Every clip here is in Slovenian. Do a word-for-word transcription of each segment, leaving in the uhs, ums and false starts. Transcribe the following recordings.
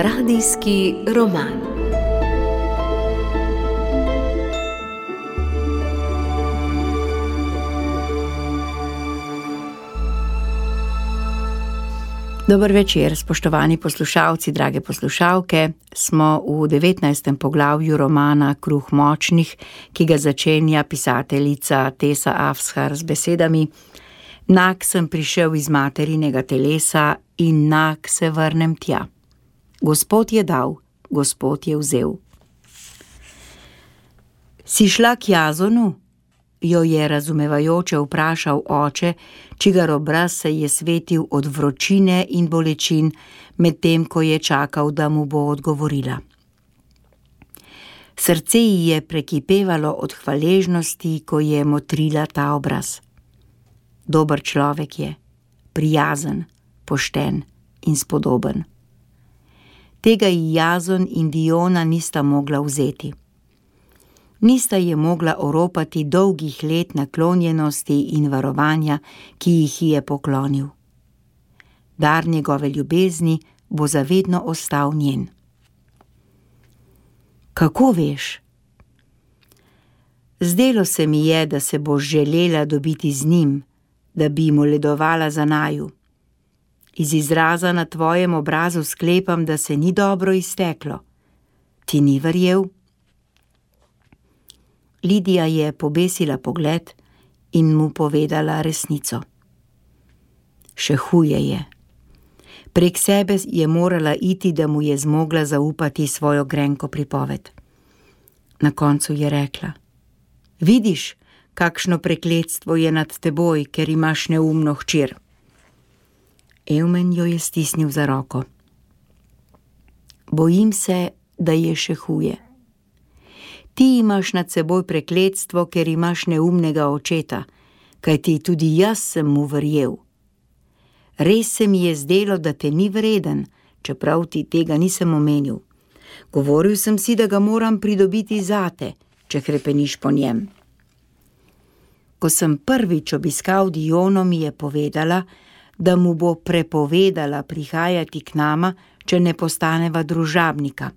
Radijski roman. Dober večer, spoštovani poslušalci, drage poslušalke. Smo v devetnajstem poglavju romana Kruh močnih, ki ga začenja pisateljica Tessa Afshar z besedami: Nag sem prišel iz materinega telesa in nag se vrnem tja. Gospod je dal, Gospod je vzel. Si šla k Jazonu? Jo je razumevajoče vprašal oče, čigar obraz se je svetil od vročine in bolečin, medtem ko je čakal, da mu bo odgovorila. Srce ji je prekipevalo od hvaležnosti, ko je motrila ta obraz. Dober človek je, prijazen, pošten in spodoben. Tega ji Jazon in Diona nista mogla vzeti. Nista je mogla oropati dolgih let naklonjenosti in varovanja, ki jih je poklonil. Dar njegove ljubezni bo zavedno ostal njen. Kako veš? Zdelo se mi je, da se boš želela dobiti z njim, da bi mu ledovala za naju. Iz izraza na tvojem obrazu sklepam, da se ni dobro izteklo. Ti ni verjel? Lidija je pobesila pogled in mu povedala resnico. Še huje je. Prek sebe je morala iti, da mu je zmogla zaupati svojo grenko pripoved. Na koncu je rekla: Vidiš, kakšno prekletstvo je nad teboj, ker imaš neumno hčer. Eumen jo je stisnil za roko. Bojim se, da je še huje. Ti imaš nad seboj prekletstvo, ker imaš neumnega očeta, kajti tudi jaz sem mu verjel. Res se mi je zdelo, da te ni vreden, čeprav ti tega nisem omenil. Govoril sem si, da ga moram pridobiti zate, če hrepeniš po njem. Ko sem prvič obiskal Diono, mi je povedala, da mu bo prepovedala prihajati k nama, če ne postaneva družabnika.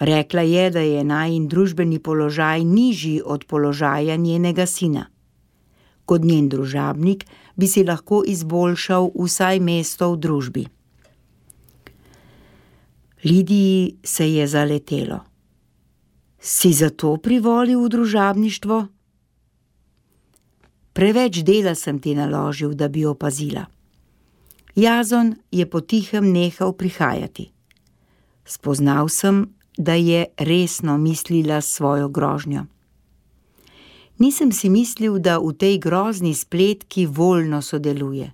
Rekla je, da je najin družbeni položaj nižji od položaja njenega sina. Kot njen družabnik bi si lahko izboljšal vsaj mesto v družbi. Lidiji se je zaletelo. Si zato privolil v družabništvo? Preveč dela sem ti naložil, da bi opazila. Jazon je potihem nehal prihajati. Spoznal sem, da je resno mislila svojo grožnjo. Nisem si mislil, da v tej grozni spletki voljno sodeluje.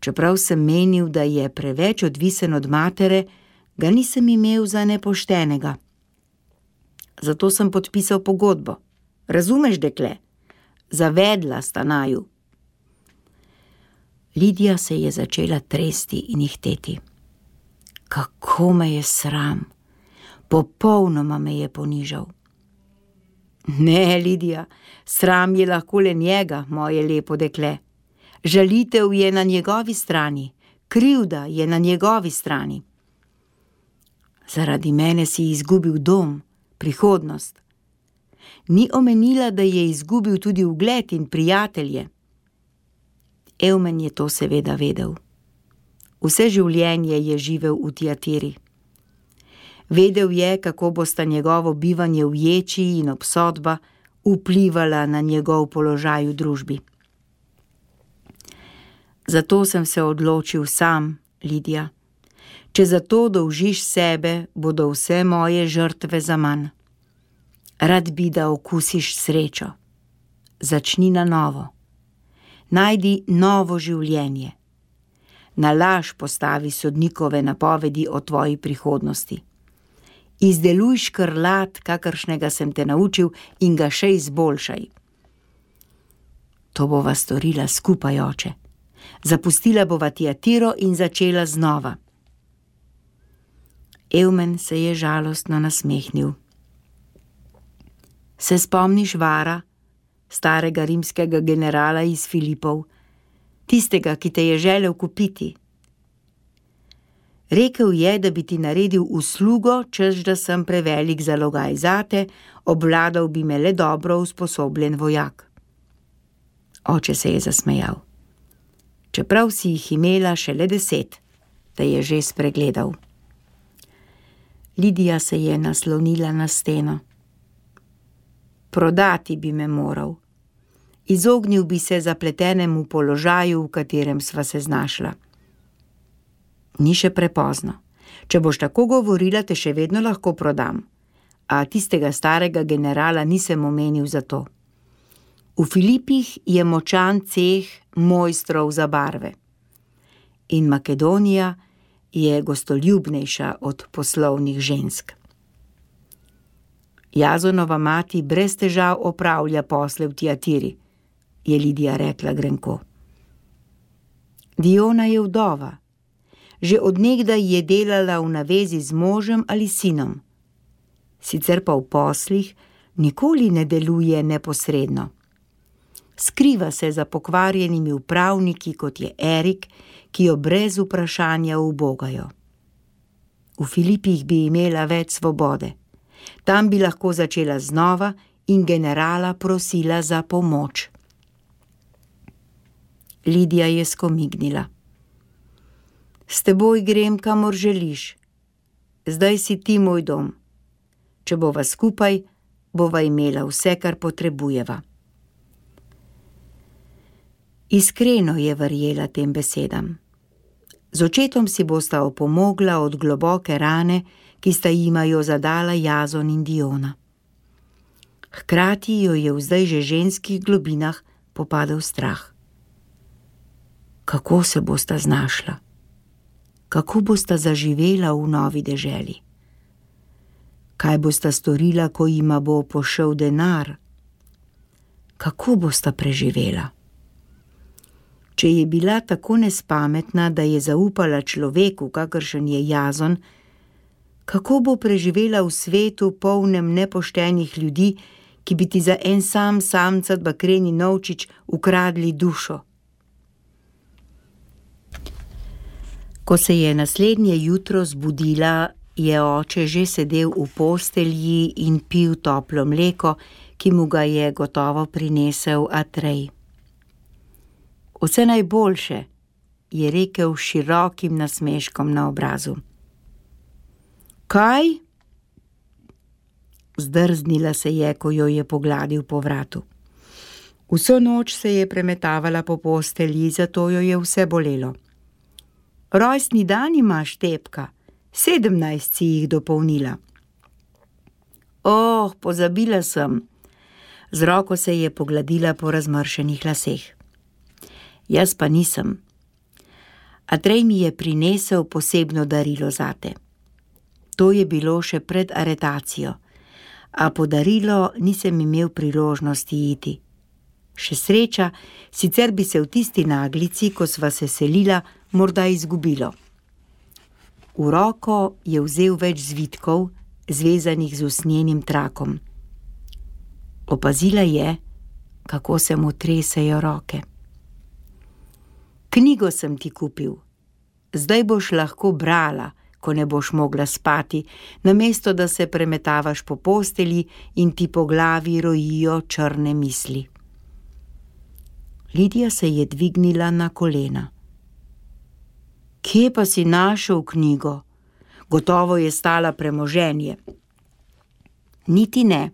Čeprav sem menil, da je preveč odvisen od matere, ga nisem imel za nepoštenega. Zato sem podpisal pogodbo. Razumeš, dekle? Zavedla sta naju. Lidija se je začela tresti in ihteti. Kako me je sram! Popolnoma me je ponižal. Ne, Lidija, sram je lahko le njega, moje lepo dekle. Žalitev je na njegovi strani, krivda je na njegovi strani. Zaradi mene si izgubil dom, prihodnost. Ni omenila, da je izgubil tudi ugled in prijatelje. Eumen je to seveda vedel. Vse življenje je živel v Tiatiri. Vedel je, kako bosta njegovo bivanje v ječi in obsodba vplivala na njegov položaj v družbi. Zato sem se odločil sam, Lidija. Če zato dolžiš sebe, bodo vse moje žrtve zaman. Rad bi, da okusiš srečo. Začni na novo. Najdi novo življenje. Na laž postavi sodnikove napovedi o tvoji prihodnosti. Izdeluj škrlat, kakršnega sem te naučil, in ga še izboljšaj. To bova storila skupaj, oče. Zapustila bova Tiatiro in začela znova. Eumen se je žalostno nasmehnil. Se spomniš Vara, starega rimskega generala iz Filipov, tistega, ki te je želel kupiti? Rekel je, da bi ti naredil uslugo, češ da sem prevelik zalogaj zate, obvladal bi me le dobro usposobljen vojak. Oče se je zasmejal. Čeprav si jih imela šele deset, te je že spregledal. Lidija se je naslonila na steno. Prodati bi me moral. Izognil bi se zapletenemu položaju, v katerem sva se znašla. Ni še prepozno. Če boš tako govorila, te še vedno lahko prodam. A tistega starega generala nisem omenil za to. V Filipih je močan ceh mojstrov za barve. In Makedonija je gostoljubnejša od poslovnih žensk. Jazonova mati brez težav opravlja posle v Tiatiri, je Lidija rekla grenko. Diona je vdova. Že od nekdaj je delala v navezi z možem ali sinom. Sicer pa v poslih nikoli ne deluje neposredno. Skriva se za pokvarjenimi upravniki, kot je Erik, ki jo brez vprašanja ubogajo. V Filipih bi imela več svobode. Tam bi lahko začela znova in generala prosila za pomoč. Lidija je skomignila. S teboj grem, kamor želiš. Zdaj si ti moj dom. Če bova skupaj, bova imela vse, kar potrebujeva. Iskreno je verjela tem besedam. Z očetom si bosta opomogla od globoke rane, ki sta jima jo zadala Jazon in Diona. Hkrati jo je v zdaj že ženskih globinah popadel strah. Kako se bosta znašla? Kako bosta zaživela v novi deželi? Kaj bosta storila, ko jima bo pošel denar? Kako bosta preživela? Če je bila tako nespametna, da je zaupala človeku, kakršen je Jazon, kako bo preživela v svetu polnem nepoštenih ljudi, ki bi ti za en sam samcat bakreni novčič ukradli dušo? Ko se je naslednje jutro zbudila, je oče že sedel v postelji in pil toplo mleko, ki mu ga je gotovo prinesel Atrej. Vse najboljše, je rekel s širokim nasmeškom na obrazu. Kaj? Zdrznila se je, ko jo je pogladil po vratu. Vso noč se je premetavala po postelji, zato jo je vse bolelo. Rojstni dan imaš, Tepka, sedemnajst si jih dopolnila. Oh, pozabila sem. Z roko se je pogladila po razmršenih laseh. Jaz pa nisem. Atrej mi je prinesel posebno darilo zate. To je bilo še pred aretacijo, a po darilo nisem imel priložnosti iti. Še sreča, sicer bi se v tisti naglici, ko sva se selila, morda izgubilo. V roko je vzel več zvitkov, zvezanih z usnjenim trakom. Opazila je, kako se mu tresejo roke. Knjigo sem ti kupil. Zdaj boš lahko brala, ko ne boš mogla spati, namesto da se premetavaš po postelji in ti po glavi rojijo črne misli. Lidija se je dvignila na kolena. Kje pa si našel knjigo? Gotovo je stala premoženje. Niti ne.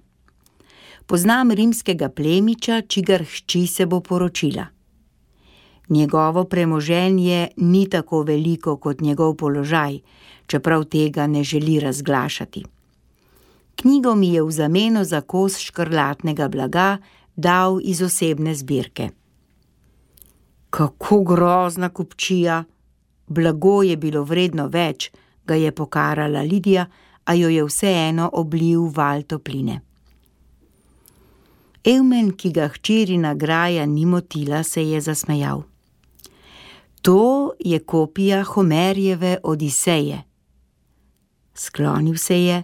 Poznam rimskega plemiča, čigar hči se bo poročila. Njegovo premoženje ni tako veliko kot njegov položaj, čeprav tega ne želi razglašati. Knjigo mi je v zameno za kos škrlatnega blaga dal iz osebne zbirke. Kako grozna kupčija! Blago je bilo vredno več, ga je pokarala Lidija, a jo je vseeno oblil val topline. Evmen, ki ga hčerina graja ni motila, se je zasmejal. To je kopija Homerjeve Odiseje. Sklonil se je,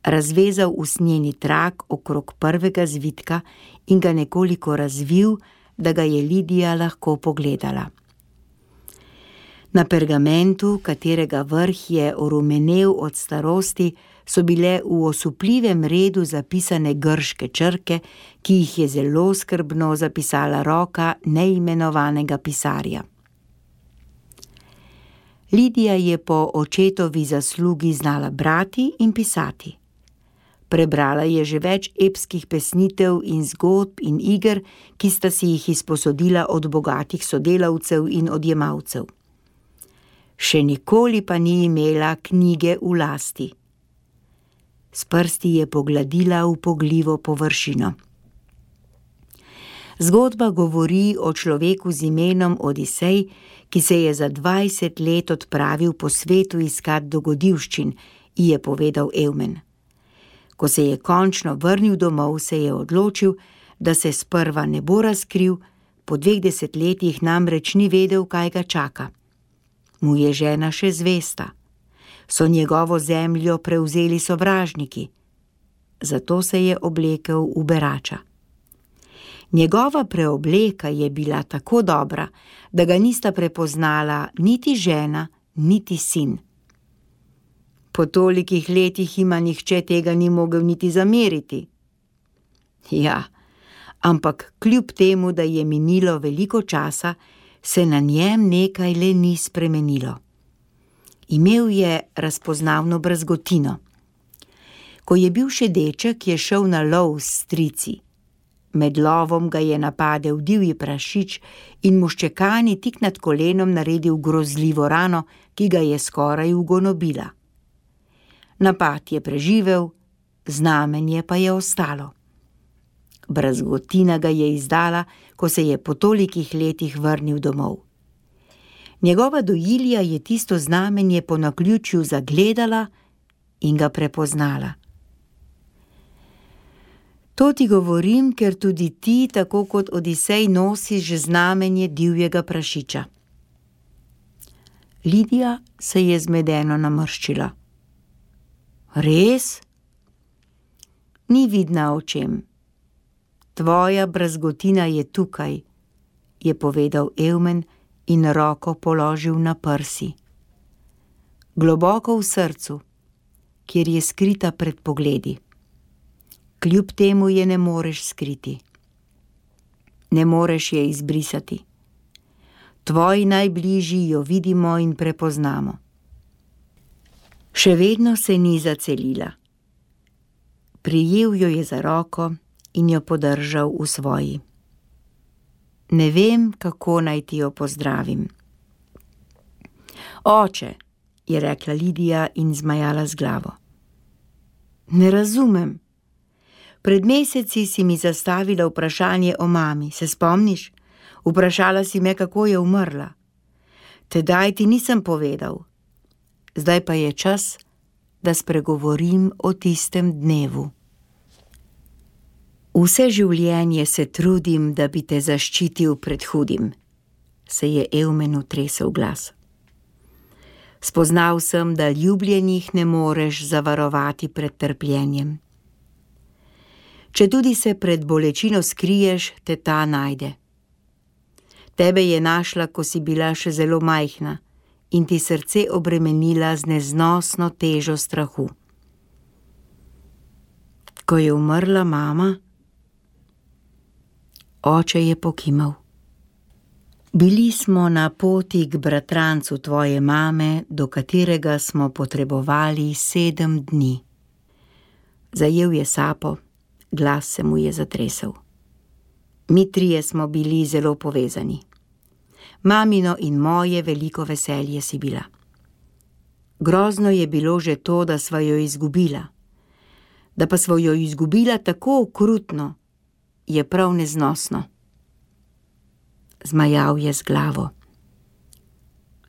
razvezal usnjeni trak okrog prvega zvitka in ga nekoliko razvil, da ga je Lidija lahko pogledala. Na pergamentu, katerega vrh je orumenel od starosti, so bile v osupljivem redu zapisane grške črke, ki jih je zelo skrbno zapisala roka neimenovanega pisarja. Lidija je po očetovi zaslugi znala brati in pisati. Prebrala je že več epskih pesnitev in zgodb in iger, ki sta si jih izposodila od bogatih sodelavcev in odjemalcev. Še nikoli pa ni imela knjige v lasti. S prsti je pogladila upogljivo površino. Zgodba govori o človeku z imenom Odisej, ki se je za dvajset let odpravil po svetu iskat dogodivščin, ji je povedal Evmen. Ko se je končno vrnil domov, se je odločil, da se sprva ne bo razkril, po dveh desetletjih namreč ni vedel, kaj ga čaka. Mu je žena še zvesta. So njegovo zemljo prevzeli sovražniki. Zato se je oblekel v berača. Njegova preobleka je bila tako dobra, da ga nista prepoznala niti žena, niti sin. Po tolikih letih ima nihče tega ni mogel niti zameriti. Ja, ampak kljub temu, da je minilo veliko časa, se na njem nekaj le ni spremenilo. Imel je razpoznavno brazgotino. Ko je bil še deček, je šel na lov s strici. Med lovom ga je napadel divji prašič in mu ščekani tik nad kolenom naredil grozljivo rano, ki ga je skoraj ugonobila. Napad je preživel, znamenje pa je ostalo. Brazgotina ga je izdala, ko se je po tolikih letih vrnil domov. Njegova dojilja je tisto znamenje po naključju zagledala in ga prepoznala. To ti govorim, ker tudi ti, tako kot Odisej, nosiš znamenje divjega prašiča. Lidija se je zmedeno namrščila. Res? Ni vidna očem. Tvoja brazgotina je tukaj, je povedal Evmen in roko položil na prsi. Globoko v srcu, kjer je skrita pred pogledi. Kljub temu je ne moreš skriti. Ne moreš je izbrisati. Tvoji najbližji jo vidimo in prepoznamo. Še vedno se ni zacelila. Prijel jo je za roko in jo podržal v svoji. Ne vem, kako naj ti jo pozdravim. Oče, je rekla Lidija in zmajala z glavo. Ne razumem. Pred meseci si mi zastavila vprašanje o mami, se spomniš? Vprašala si me, kako je umrla. Tedaj ti nisem povedal. Zdaj pa je čas, da spregovorim o tistem dnevu. Vse življenje se trudim, da bi te zaščitil pred hudim, se je Evmenu tresel glas. Spoznal sem, da ljubljenih ne moreš zavarovati pred trpljenjem. Četudi se pred bolečino skriješ, te ta najde. Tebe je našla, ko si bila še zelo majhna in ti srce obremenila z neznosno težo strahu. Ko je umrla mama, oče je pokimal. Bili smo na poti k bratrancu tvoje mame, do katerega smo potrebovali sedem dni. Zajel je sapo, glas se mu je zatresel. Mi trije smo bili zelo povezani. Mamino in moje veliko veselje si bila. Grozno je bilo že to, da sva jo izgubila. Da pa sva jo izgubila tako okrutno, je prav neznosno. Zmajal je z glavo.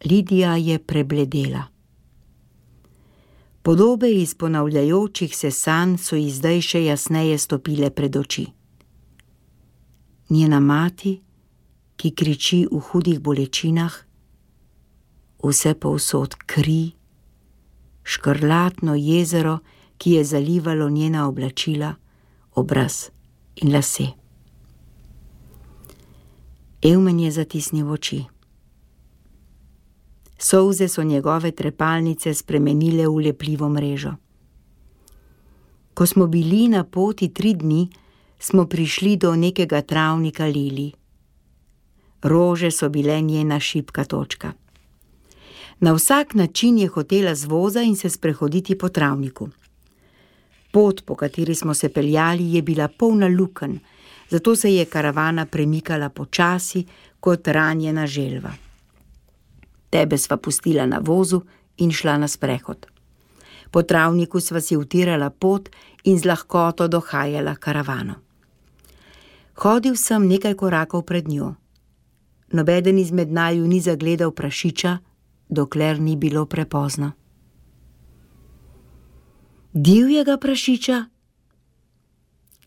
Lidija je prebledela. Podobe iz ponavljajočih se sanj so ji zdaj še jasneje stopile pred oči. Njena mati, ki kriči v hudih bolečinah, vse povsod kri, škrlatno jezero, ki je zalivalo njena oblačila, obraz in lase. Evmen je zatisnil oči. Solze so njegove trepalnice spremenile v lepljivo mrežo. Ko smo bili na poti tri dni, smo prišli do nekega travnika lilij. Rože so bile njena šibka točka. Na vsak način je hotela z voza in se sprehoditi po travniku. Pot, po kateri smo se peljali, je bila polna lukenj, zato se je karavana premikala počasi kot ranjena želva. Tebe sva pustila na vozu in šla na sprehod. Po travniku sva si utirala pot in z lahkoto dohajala karavano. Hodil sem nekaj korakov pred njo. Nobeden izmed naju ni zagledal prašiča, dokler ni bilo prepozno. Divjega prašiča?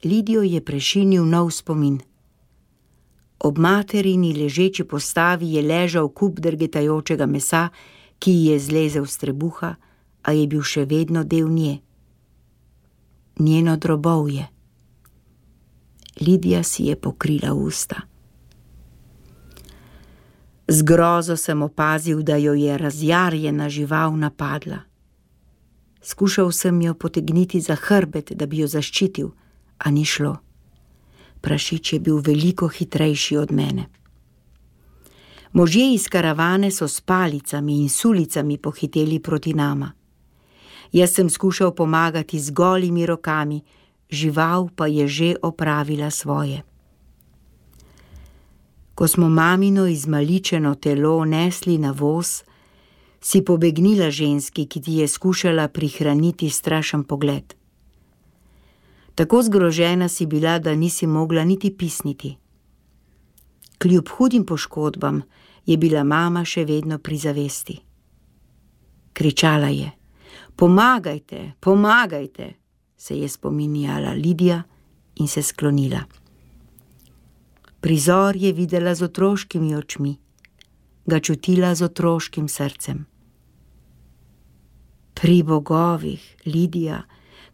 Lidijo je prešinil nov spomin. Ob materini ležeči postavi je ležal kup drgetajočega mesa, ki ji je zlezel s trebuha, a je bil še vedno del nje. Njeno drobovje. Lidija si je pokrila usta. Z grozo sem opazil, da jo je razjarjena žival napadla. Skušal sem jo potegniti za hrbet, da bi jo zaščitil, a ni šlo. Prašič je bil veliko hitrejši od mene. Možje iz karavane so s palicami in sulicami pohiteli proti nama. Jaz sem skušal pomagati z golimi rokami, žival pa je že opravila svoje. Ko smo mamino izmaličeno telo nesli na voz, si pobegnila ženski, ki ti je skušala prihraniti strašen pogled. Tako zgrožena si bila, da nisi mogla niti pisniti. Kljub hudim poškodbam je bila mama še vedno pri zavesti. Kričala je: "Pomagajte, pomagajte!" se je spominjala Lidija in se sklonila. Prizor je videla z otroškimi očmi, ga čutila z otroškim srcem. Pri bogovih, Lidija,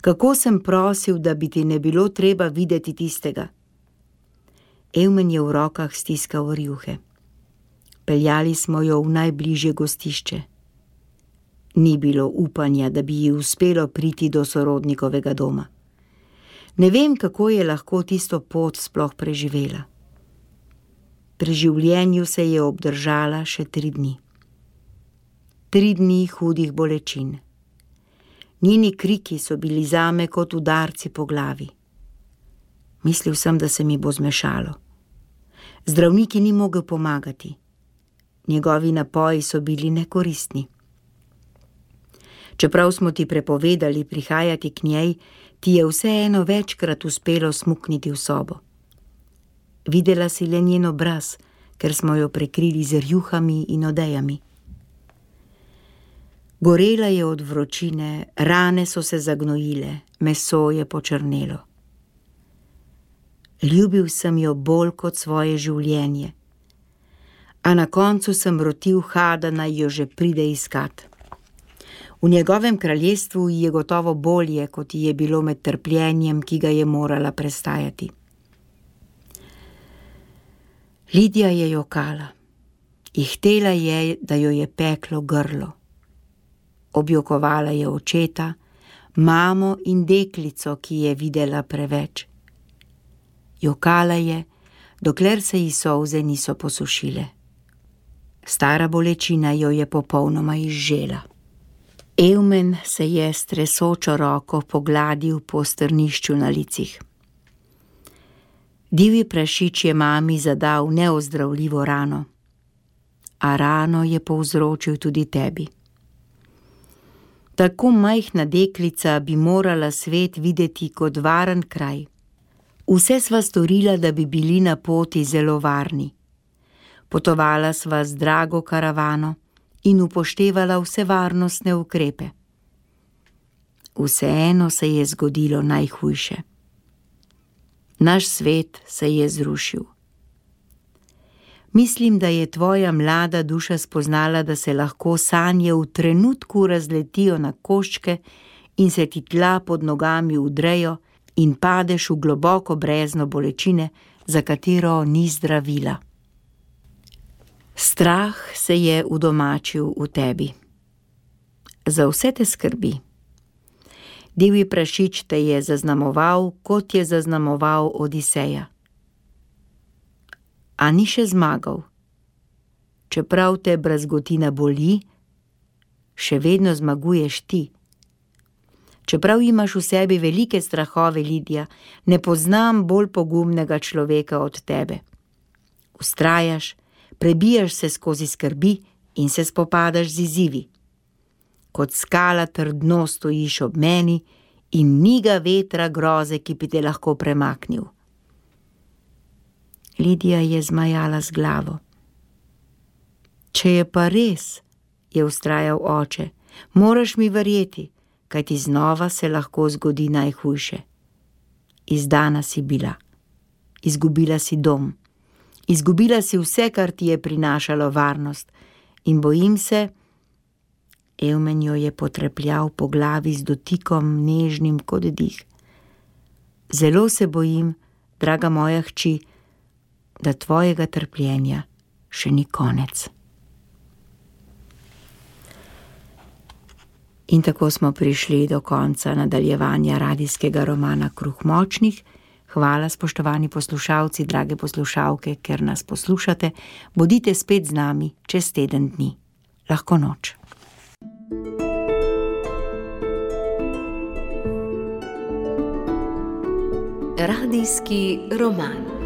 kako sem prosil, da bi ti ne bilo treba videti tistega. Evmen je v rokah stiskal rjuhe. Peljali smo jo v najbližje gostišče. Ni bilo upanja, da bi ji uspelo priti do sorodnikovega doma. Ne vem, kako je lahko tisto pot sploh preživela. Pri življenju se je obdržala še tri dni. Tri dni hudih bolečin. Njeni kriki so bili zame kot udarci po glavi. Mislil sem, da se mi bo zmešalo. Zdravniki ni mogel pomagati. Njegovi napoji so bili nekoristni. Čeprav smo ti prepovedali prihajati k njej, ti je vseeno večkrat uspelo smukniti v sobo. Videla si le njen obraz, ker smo jo prekrili z rjuhami in odejami. Gorela je od vročine, rane so se zagnojile, meso je počrnelo. Ljubil sem jo bolj kot svoje življenje, a na koncu sem rotil Hada, naj jo že pride iskat. V njegovem kraljestvu ji je gotovo bolje, kot ji je bilo med trpljenjem, ki ga je morala prestajati. Lidija je jokala. Ihtela je, da jo je peklo grlo. Objokovala je očeta, mamo in deklico, ki je videla preveč. Jokala je, dokler se ji solze niso posušile. Stara bolečina jo je popolnoma izžela. Evmen se je s tresočo roko pogladil po strnišču na licih. Divji prašič je mami zadal neozdravljivo rano, a rano je povzročil tudi tebi. Tako majhna deklica bi morala svet videti kot varen kraj. Vse sva storila, da bi bili na poti zelo varni. Potovala sva z drago karavano in upoštevala vse varnostne ukrepe. Vseeno se je zgodilo najhujše. Naš svet se je zrušil. Mislim, da je tvoja mlada duša spoznala, da se lahko sanje v trenutku razletijo na koščke in se ti tla pod nogami udrejo in padeš v globoko brezno bolečine, za katero ni zdravila. S Strah se je udomačil v tebi. Za vse te skrbi. Divji prašič te je zaznamoval, kot je zaznamoval Odiseja. A ni še zmagal. Čeprav te brazgotina boli, še vedno zmaguješ ti. Čeprav imaš v sebi velike strahove, Lidija, ne poznam bolj pogumnega človeka od tebe. Vztrajaš, prebijaš se skozi skrbi in se spopadaš z izzivi. Kot skala trdno stojiš ob meni in ni ga vetra groze, ki bi te lahko premaknil. Lidija je zmajala z glavo. Če je pa res, je vztrajal oče, moraš mi verjeti, kajti znova se lahko zgodi najhujše. Izdana si bila, izgubila si dom, izgubila si vse, kar ti je prinašalo varnost, in bojim se, Evmen jo je potrepljal po glavi z dotikom nežnim kot dih. Zelo se bojim, draga moja hči, da tvojega trpljenja še ni konec. In tako smo prišli do konca nadaljevanja radijskega romana Kruh močnih. Hvala, spoštovani poslušalci, drage poslušalke, ker nas poslušate. Bodite spet z nami čez teden dni. Lahko noč. Radijski roman.